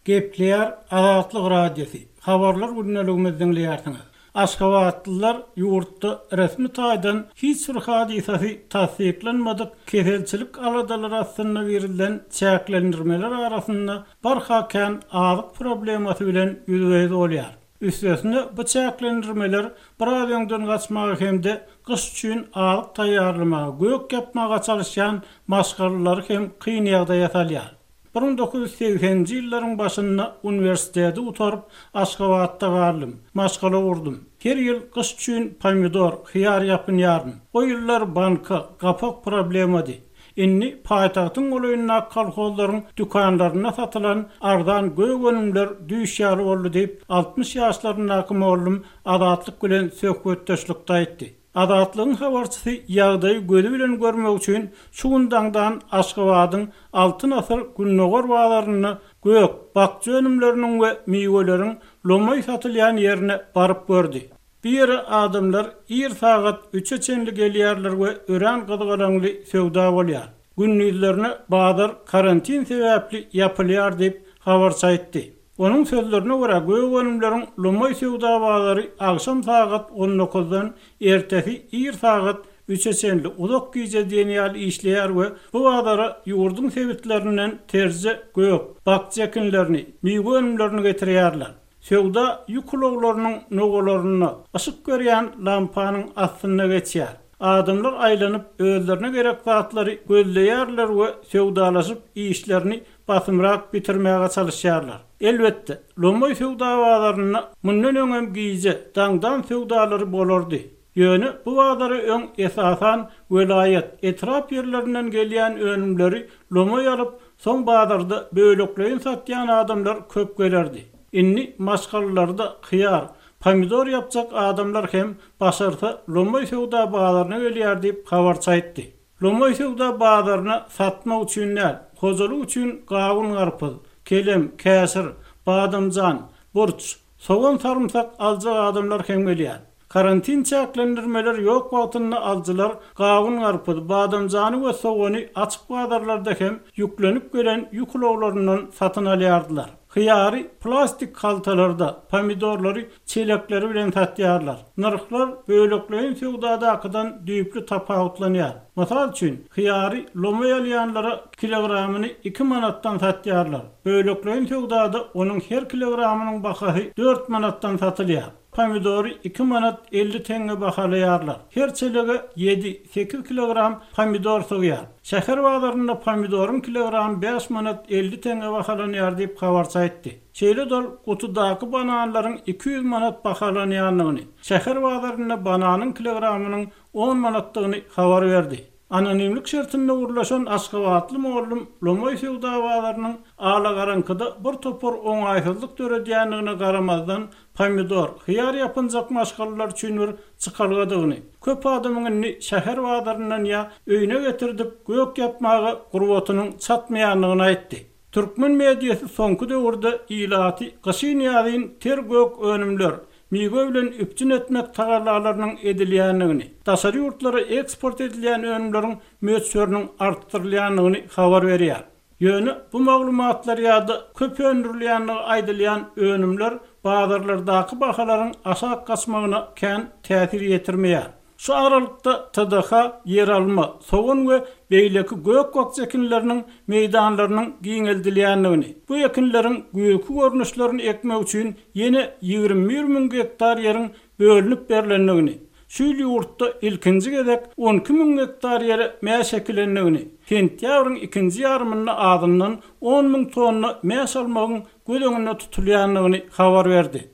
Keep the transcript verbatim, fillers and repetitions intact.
Gepleýär Azatlyk Radiosy, Habarlar gündeligimizi diňleýärsiňiz. Aşgabatlylar ýurtda resmi taýdan hiç bir hadysasy tassyklanmadyk keselçilik aladalary astynda girizilen çäklendirmeler arasynda barha kän azyk problemasy bilen ýüzbe-ýüz bolýar. Üstesine bu çäklendirmeler biraz öňden gaçmaga hem-de gyş üçin azyk taýýarlamaga, gök ýapmaga çalyşýan maşgalalary hem kyn ýagdaýa salýar. bir müň dokuz ýüz segseninji ýyllaryň başynda uniwersiteti gutaryp, Aşgabatda galdym, maşgala gurdum. Her ýyl gyş üçin pomidor, hyýar ýapynýaryn. O ýyllar banka, gapak problemady. Indi paýtagtyň golaýyndaky kolhozlaryň dükanlarynda satylan arzan gök önümler düýş ýaly boldy diýip, altmyş ýaşlaryndaky mugallym Azatlyk bilen söhbetdeşlikde aýtdy. Azatlygyň habarçysy ýagdaýy gözi bilen görmek üçin şu gün daňdan Aşgabadyň Altyn asyr Gündogar bazarynda gök, bakja önümleriniň we miweleriň lomaý satylýan ýerine baryp gördi. Bu ýere adamlar ir sagat üçe çenli gelýärler we örän gyzgalaňly söwda bolýar. Gündizlerine bazar karantin sebäpli ýapylýar diýip, habarçy aýtdy. Onuň sözlerine görä, gök önümleriň lomaý söwda bazary agşam sagat on dokuzdan ertesi ir sagat üçe çenli uzak gije diýen ýaly işleýär we bu bazara ýurduň sebitlerinden terje, gök, bakja ekinlerini, miwe önümlerini getirýärler. Söwda ýük ulaglarynyň nogalarynda yşyk berýän lampanyň astynda geçýär. Adamlar aýlanyp özlerine gerek zatlary gözleýärler we söwdalaşyp işlerini basymrak bitirmäge çalyşýarlar. Elbetde, lomaý söwda bazarynda mundan öňem gije daňdan söwdalary bolardy. Ýöne bu bazara öň esasan welaýat, etrap ýerlerinden gelýän önümleri lomaý alyp, soň bazarda bölekleýin satýan adamlar köp gelerdi. Indi maşgalalarda hyýar, pomidor ýapjak adamlar hem başarsa lomaý söwda bazaryna gelýär diýip habarçy aýtdy. Lomaý söwda bazaryna satmak üçin däl, hojalyk üçin gawun garpyz, kelem, käşir, badamjan, burç, sogan sarymsak aljak adamlar hem gelýär. Karantin çäklendirmeler ýok wagtynda alyjylar gawun garpyz, badamjany we sogany açyk bazarlarda hem ýüklenip gelen ýük ulaglaryndan satyn alýardylar. Hyýary plastik haltalarda, pomidorlary çelekleri bilen satýarlar. Nyrhlar bölekleýin söwdadakydan düýpli tapawutlanýar. Mysal üçin, hyýary lomaý alýanlara kilogramyny iki manatdan satýarlar. Bölekleýin söwdada onuň her kilogramynyň bahasy dört manatdan satylýar. Pomidory iki manat elli tenge bahalaýarlar. Her çelege ýedi sekiz kilogram pomidor sygýar. Şäher bazarynda pomidoryň kilogramy bäş manat elli tenge bahalanýar diýip habarçy aýtdy. Şeýle dol gutudaky bananlaryň iki ýüz manat bahalanýandygyny, şäher bazarynda bananyň kilogramynyň on manatdygyny habar berdi. Anonimlik şertinde gurlaşan Aşgabatly mugallym lomaý söwda bazarynyň alagaraňkyda bir topar oňaýsyzlyk döredýändigine garamazdan pomidor, hyýar ýapynjak maşgalalar üçin bir çykalgadygyny, köp adamyň indi şäher bazaryndan ýa öýüne getirdip gök ýapmaga gurbatynyň çatmaýandygyny aýtdy. Türkmen mediasy soňky döwürde ilaty gyşyn ýazyn ter gök önümler, miwe bilen üpjün etmek tagallalarynyň edilýändigini, daşary ýurtlara eksport edilýän önümleriň möçberiniň artdyrylýandygyny habar berýär. Ýöne bu maglumatlar ýa-da köp öndürilýändigi aýdylýan önümler bazarlardaky bahalaryň aşak gaçmagyna kän täsir ýetirmeýär. Şu aralykda T D H ýeralma, sogan we beýleki gök bakja ekinleriniň meýdanlarynyň giňeldilýändigini, bu ekinleriň güýzki görnüşlerini ekmek üçin ýene ýigrimi bir müň gektar ýeriň bölünip berlendigini, şu ýyl ýurtda ilkinji gezek on iki müň gektar ýere mäş ekilendigini, sentýabryň ikinji ýarymynda azyndan on müň tonna mäş almagyň göz öňünde tutulýandygyny habar berdi.